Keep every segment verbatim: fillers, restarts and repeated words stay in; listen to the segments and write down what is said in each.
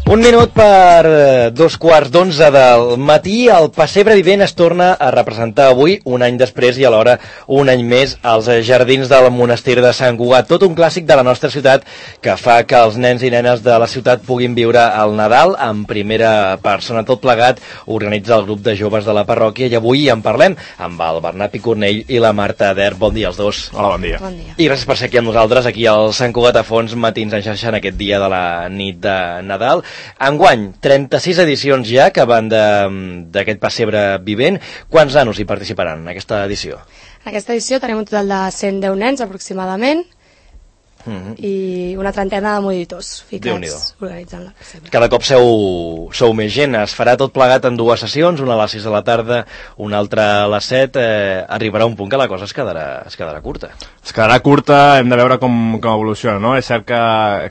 Un minut per dos quarts d'onze del matí. El Pessebre Vivent es torna a representar avui, un any després i alhora un any més, als jardins del monestir de Sant Cugat. Tot un clàssic de la nostra ciutat que fa que els nens i nenes de la ciutat puguin viure el Nadal en primera persona. Tot plegat organitza el grup de joves de la parròquia i avui en parlem amb el Bernat Picornell i la Marta Der. Bon dia als dos. Hola, bon dia. Bon dia. I gràcies per ser aquí amb nosaltres, aquí al Sant Cugat a Fons, matins en xarxa en aquest dia de la nit de Nadal. Enguany, trenta-sis edicions ja que van d'aquest Pessebre Vivent. Quants nanos hi participaran en aquesta edició? En aquesta edició tenim un total de cent deu nens aproximadament, Mm-hmm. i una trentena de monitors ficats Déu-n'hi-do. organitzant la Pessebre. Cada cop sou, sou més gent. Es farà tot plegat en dues sessions, una a les sis de la tarda, una altra a les set. Eh, arribarà un punt que la cosa es quedarà, es quedarà curta. Es quedarà curta, hem de veure com, com evoluciona, no? És cert que,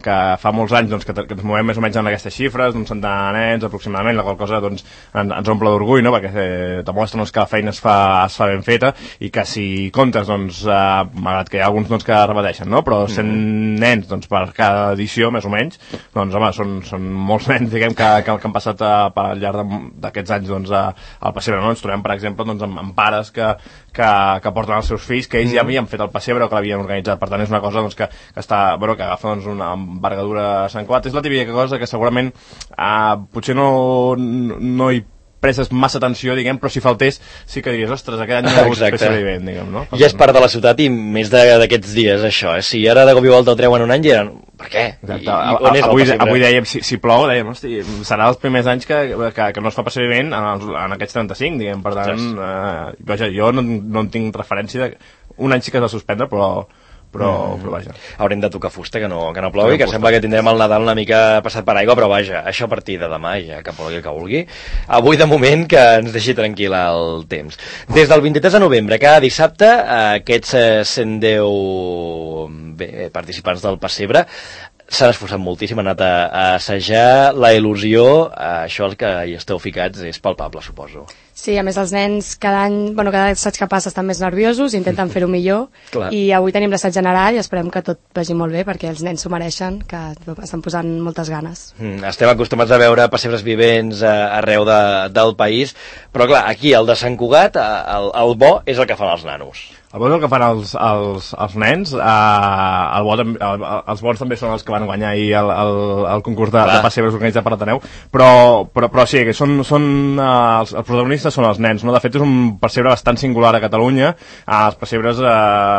que fa molts anys doncs, que, que ens movem més o menys en aquestes xifres, d'un centenar de nens aproximadament, la qual cosa doncs, ens, ens omple d'orgull, no? Perquè eh, demostra doncs, que la feina es fa, es fa ben feta i que si comptes, doncs, eh, malgrat que hi ha alguns doncs, que repeteixen, no? Però sent mm. nens doncs, per cada edició, més o menys, doncs, home, són, són molts nens, diguem, que, que, que han passat a, per al llarg d'aquests anys doncs, a, al Pessebre, no? Ens trobem, per exemple, doncs, amb, amb pares que, que, que porten els seus fills, que ells mm. ja havien fet el Pessebre o que l'havien organitzat. Per tant, és una cosa doncs, que, que, està, bueno, que agafa doncs, una envergadura a Sant Cugat. És la típica cosa que segurament eh, potser no, no hi prestes massa atenció, diguem, però si faltés sí que diries, ostres, aquest any no ha hagut Pessebre Vivent, diguem, no? Ja és part de la ciutat i més d'aquests dies, això, eh? Si ara de cop i volta el treuen un any, ja eren... Per què? Exacte. I, i on és avui, avui dèiem, si, si plou, dèiem, hosti, serà els primers anys que, que, que no es fa Pessebre Vivent en, els, en aquests trenta-cinc, diguem, per tant, eh, vaja, jo no, no en tinc referència de... Un any sí que es va suspendre, però... Però, mm. però vaja. Haurem de tocar fusta, que no, que no plogui, que sembla que tindrem el Nadal una mica passat per aigua, però vaja, això a partir de demà, ja que plogui el que vulgui. Avui, de moment, que ens deixi tranquil el temps. Des del vint-i-tres de novembre, cada dissabte, aquests cent deu bé, participants del Pessebre s'han esforçat moltíssim, han anat a, a assajar la il·lusió, això el que hi esteu ficats és palpable, suposo. Sí, a més els nens cada any, bueno, cada assaig que passa estan més nerviosos, intenten fer-ho millor. Clar. I avui tenim l'assaig general i esperem que tot vagi molt bé perquè els nens s'ho mereixen, que estan posant moltes ganes. Mm, estem acostumats a veure pessebres vivents a, arreu de, del país, però clar, aquí el de Sant Cugat, el, el bo és el que fan els nanos. El bo és el que fan els, els, els nens, eh, el bo, el, els bons també són els que van guanyar ahir el, el, el concurs de, de pessebres organitzat per l'Ateneu, però, però, però sí, que són, són, eh, els, els protagonistes són els nens, no? De fet és un pessebre bastant singular a Catalunya, eh, els pessebres eh,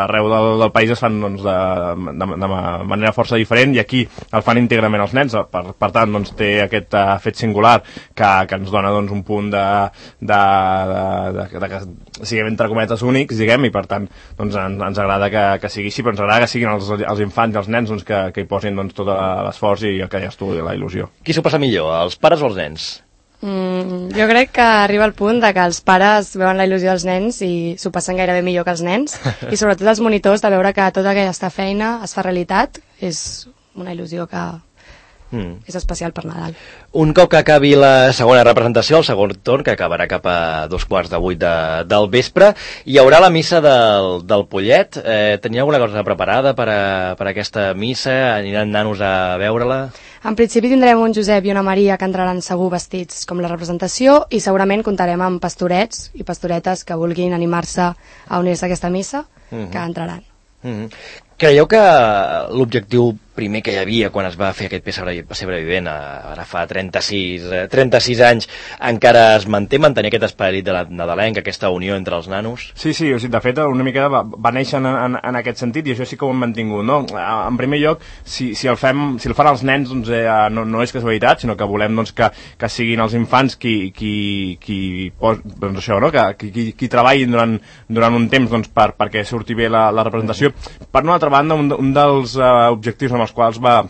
arreu del, del país es fan doncs, de, de, de manera força diferent i aquí el fan íntegrament els nens, per, per tant doncs, té aquest uh, fet singular que, que ens dona doncs, un punt de, de, de, de, de que siguem entre cometes únics, diguem, i per tant doncs ens, ens agrada que, que sigui així, però ens agrada que siguin els, els infants i els nens doncs, que, que hi posin doncs, tot l'esforç i el que deies tu, la il·lusió. Qui s'ho passa millor, els pares o els nens? Mm, jo crec que arriba el punt de que els pares veuen la il·lusió dels nens i s'ho passen gairebé millor que els nens i sobretot els monitors de veure que tota aquesta feina es fa realitat és una il·lusió que Mm. és especial per Nadal. Un cop que acabi la segona representació, el segon torn, que acabarà cap a dos quarts de vuit de, del vespre, hi haurà la missa del, del Pollet. Eh, tenia alguna cosa preparada per a, per a aquesta missa? Aniran nanos a veure-la? En principi tindrem un Josep i una Maria que entraran segur vestits com la representació i segurament comptarem amb pastorets i pastoretes que vulguin animar-se a unir-se a aquesta missa, mm-hmm. que entraran. Mm-hmm. Creieu que l'objectiu primer que hi havia quan es va fer aquest Pessebre Vivent, ara fa trenta-sis, trenta-sis anys, encara es manté, mantenir aquest esperit de la nadalenca, aquesta unió entre els nanos? Sí, sí, o sigui, de fet, una mica va, va néixer en, en, en aquest sentit i això sí que ho hem mantingut, no? En primer lloc, si, si, el, fem, si el fan els nens, doncs, eh, no, no és casualitat, sinó que volem doncs, que, que siguin els infants qui, qui, qui, pos, doncs això, no? que, qui, qui treballin durant, durant un temps doncs, per, perquè surti bé la, la representació. Per una altra banda, un, un dels uh, objectius amb els quals va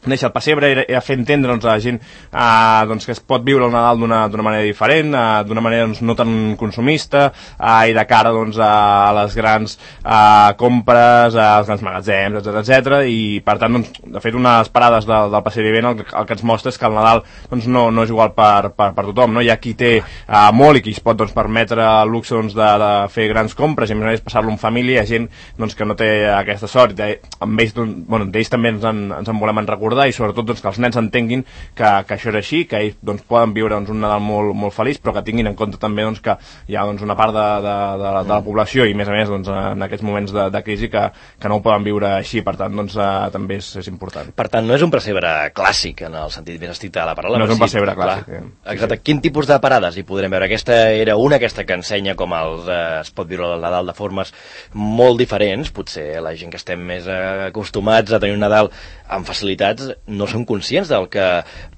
néixer el Pessebre era, era fer entendre doncs, a la gent eh, doncs, que es pot viure el Nadal d'una manera diferent, eh, d'una manera doncs, no tan consumista eh, i de cara doncs, a les grans eh, compres, als grans magatzems, etcètera etcètera. I per tant, doncs, de fet, unes parades del, del Pessebre Vivent el, el que ens mostra és que el Nadal doncs, no, no és igual per, per, per tothom, no? Hi ha qui té eh, molt i qui es pot doncs, permetre el luxe doncs, de, de fer grans compres i a més a més passar-lo en família. Hi ha gent doncs, que no té aquesta sort, amb ells, doncs, bueno, d'ells també ens en, ens en volem en recordar recordar i sobretot doncs, que els nens entenguin que, que això és així, que ells doncs, poden viure doncs, un Nadal molt, molt feliç, però que tinguin en compte també doncs, que hi ha doncs, una part de, de, de, de la població i més a més doncs, en aquests moments de, de crisi que, que no ho poden viure així, per tant doncs, eh, també és, és important. Per tant, no és un pessebre clàssic en el sentit més estricte de la paraula. No és un pessebre sí, clàssic. Eh? Exacte. Sí, sí. Quin tipus de parades hi podrem veure? Aquesta era una, aquesta que ensenya com els, eh, es pot viure el Nadal de formes molt diferents. Potser la gent que estem més eh, acostumats a tenir un Nadal amb facilitats no són conscients del que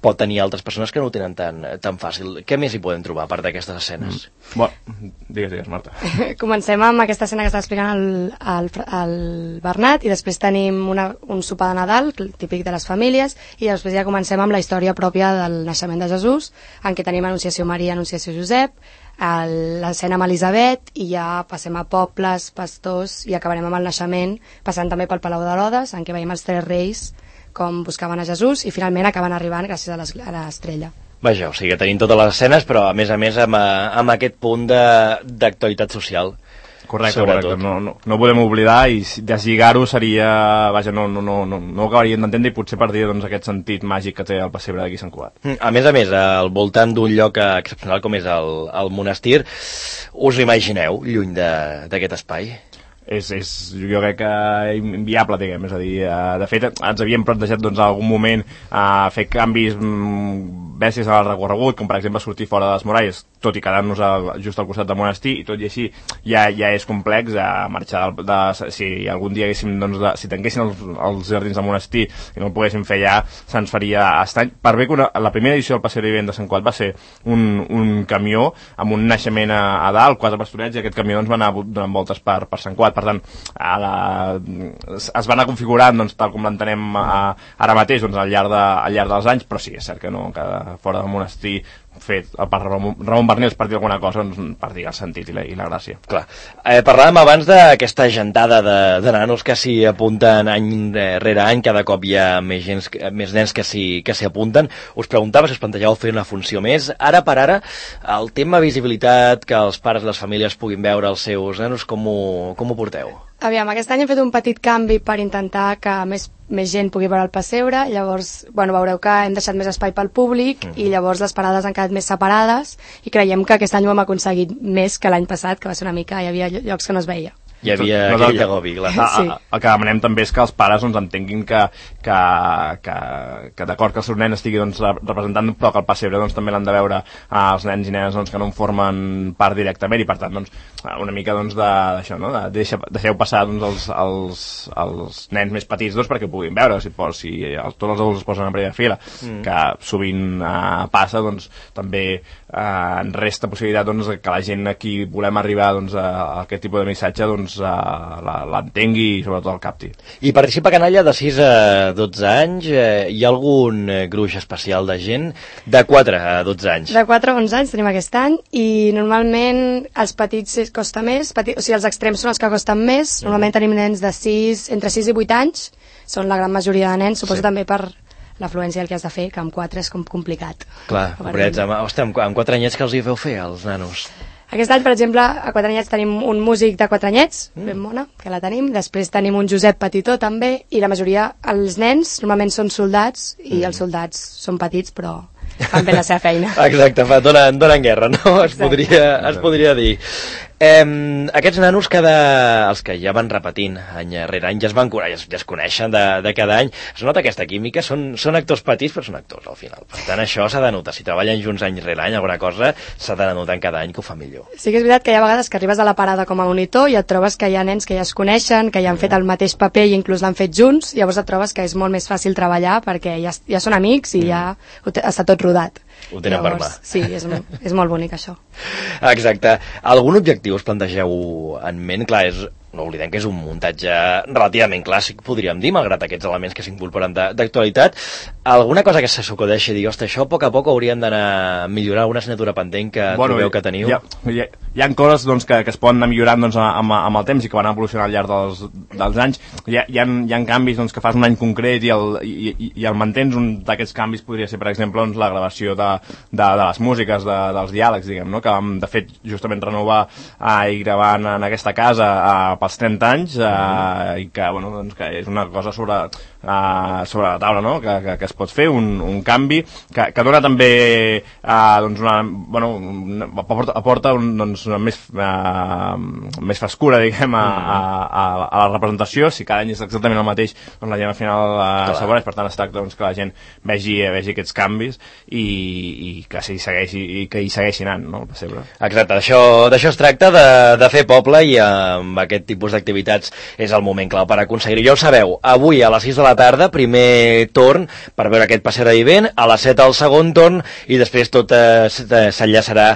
pot tenir altres persones que no ho tenen tan, tan fàcil. Què més hi podem trobar a part d'aquestes escenes? Mm. Bueno, digues, digues, Marta. Comencem amb aquesta escena que està explicant el, el, el Bernat i després tenim una, un sopar de Nadal, típic de les famílies, i després ja comencem amb la història pròpia del naixement de Jesús, en què tenim Anunciació Maria, Anunciació Josep, l'escena amb Elisabet, i ja passem a pobles, pastors, i acabarem amb el naixement, passant també pel Palau d'Herodes, en què veiem els tres reis com buscaven a Jesús, i finalment acaben arribant gràcies a l'estrella. Vaja, o sigui, tenim totes les escenes, però a més a més amb, amb aquest punt d'actualitat social. Correcte, correcte. No, no, no podem oblidar i deslligar-ho seria... Vaja, no, no, no, no, no ho acabaríem d'entendre i potser perdria doncs, aquest sentit màgic que té el pessebre d'aquí Sant Cugat. A més a més, al voltant d'un lloc excepcional com és el, el monestir, us imagineu lluny d'aquest espai? És, és, jo crec que inviable, diguem, és a dir, uh, de fet ens havíem plantejat doncs, en algun moment uh, fer canvis mm, bèsties al recorregut, com per exemple sortir fora de les muralles, tot i quedar-nos just al costat del monestir, i tot i així ja, ja és complex uh, marxar de, de, si algun dia haguéssim, doncs, de, si tanquessin els, els jardins del monestir i no ho poguéssim fer ja, se'ns faria estrany, per bé que una, la primera edició del Passeig d'Hivern de Sant Cugat va ser un, un camió amb un naixement a, a dalt, quatre pastorets, i aquest camió doncs, va anar donant voltes per, per Sant Cugat. Per tant, a la, es va anar configurant doncs, tal com l'entenem ara mateix doncs, al, llarg de, al llarg dels anys, però sí, és cert que no, que fora del monestir fet per Ramon, Ramon Bernils per dir alguna cosa, doncs, per dir el sentit i la, i la gràcia. Clar. Eh, parlàvem abans d'aquesta gentada de, de nanos que s'hi apunten any rere any, cada cop hi ha més, gens, més nens que s'hi apunten. Us preguntava si us plantejàveu fer una funció més. Ara per ara, el tema visibilitat, que els pares i les famílies puguin veure els seus nanos, com ho, com ho porteu? Aviam, aquest any hem fet un petit canvi per intentar que més, més gent pugui veure el pessebre, llavors, bueno, veureu que hem deixat més espai pel públic mm. i llavors les parades han quedat més separades i creiem que aquest any ho hem aconseguit més que l'any passat, que va ser una mica, hi havia llocs que no es veia. Hi havia no, aquell agobi, clar. Sí. El que demanem també és que els pares doncs, entenguin que, que, que, que d'acord que el seu nen estigui doncs, representant, però que el pessebre doncs, també l'han de veure els nens i nenes doncs, que no en formen part directament i per tant doncs, una mica doncs, d'això, no? de, deixa, deixeu passar doncs, els, els, els nens més petits doncs, perquè ho puguin veure, si, si els, tots els adults es posen en primera fila, mm. que sovint eh, passa, doncs, també eh, en resta possibilitat doncs, que la gent a qui volem arribar doncs, a, a aquest tipus de missatge doncs, l'entengui i sobretot el capti. I participa canalla de sis a dotze anys. Eh, hi ha algun gruix especial de gent de quatre a dotze anys? De quatre a onze anys tenim aquest any i normalment els petits costa més, petit, o sigui els extrems són els que costen més. Normalment tenim nens de sis, entre sis i vuit anys, són la gran majoria de nens, suposo sí. també per l'afluència el que has de fer, que amb quatre és com complicat. Clar, pobrets, amb, hosti, amb, amb quatre anyets que els hi feu fer als nanos? Aquest any, per exemple, a quatre anyets tenim un músic de quatre anyets, mm. ben mona, que la tenim. Després tenim un Josep Petitó, també, i la majoria, els nens, normalment són soldats, i mm. els soldats són petits, però fan bé la seva feina. Exacte, fa, donen, donen guerra, no? Es podria, es podria dir. Eh, aquests nanos, cada, els que ja van repetint any rere any, ja es van curar, ja es, ja es coneixen de, de cada any, es nota aquesta química, són, són actors petits però són actors al final, per tant això s'ha de notar, si treballen junts any rere any alguna cosa s'ha de notar en cada any que ho fa millor. Sí que és veritat que hi ha vegades que arribes a la parada com a monitor i et trobes que hi ha nens que ja es coneixen, que ja han fet el mateix paper i inclús l'han fet junts, llavors et trobes que és molt més fàcil treballar perquè ja, ja són amics i mm. ja està tot rodat. Ho tenen llavors, per mà. Sí, és, és molt bonic això. Exacte. Algun objectiu us plantegeu en ment? Clar, és, no oblidem que és un muntatge relativament clàssic, podríem dir, malgrat aquests elements que s'incorporen d'actualitat. Alguna cosa que se s'acudeixi dir, ostres, això a poc a poc hauríem d'anar millorant, alguna assignatura pendent que bueno, trobeu que teniu? Hi ha, hi ha, hi ha coses doncs, que, que es poden anar millorant doncs, amb, amb el temps i que van evolucionar al llarg dels, dels anys. Hi ha, hi ha, hi ha canvis doncs, que fas un any concret i el, i, i, i el mantens. Un d'aquests canvis podria ser, per exemple, doncs, la gravació de, de, de les músiques, de, dels diàlegs, diguem, no? Que vam, de fet, justament renovar eh, i gravar en, en aquesta casa eh, pels trenta anys, eh, i que, bueno, doncs, que és una cosa sobre, eh, sobre la taula, no? que, que, que es pot fer, un, un canvi que, que dona també eh, doncs una, bueno, una, aporta, aporta un, doncs, una més, eh, més frescura, diguem, a, a, a, a la representació. Si cada any és exactament el mateix, doncs la gent al final eh, s'avoreix, per tant es tracta doncs, que la gent vegi, vegi aquests canvis i, i que s'hi segueixi, i que hi segueixi anant, no, el pessebre. Exacte, d'això es tracta, de, de fer poble, i amb aquest tipus d'activitats és el moment clau per aconseguir-ho. Ja ho sabeu, avui a les sis de la tarda, primer torn per veure aquest passeig vivent, a les set el segon torn, i després tot eh, s'enllaçarà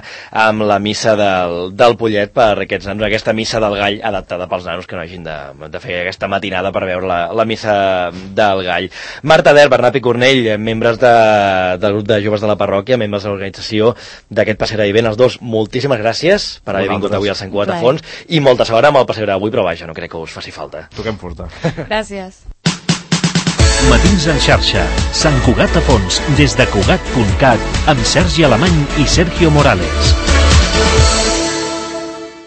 amb la missa del, del Pollet per aquests nanos, aquesta missa del gall adaptada pels nanos que no hagin de, de fer aquesta matinada per veure la, la missa del gall. Marta Del, Bernat Picornell, membres de, del grup de joves de la parròquia, membres de l'organització d'aquest passeig vivent, els dos, moltíssimes gràcies per haver vingut avui al Sant Cugat a Fons, i molta sort amb el passeig d'avui, però vaja, no crec que us faci falta. Toquem furta. Gràcies. Matins en xarxa, Sant Cugat a Fons, des de Cugat punt cat, amb Sergi Alemany i Sergio Morales.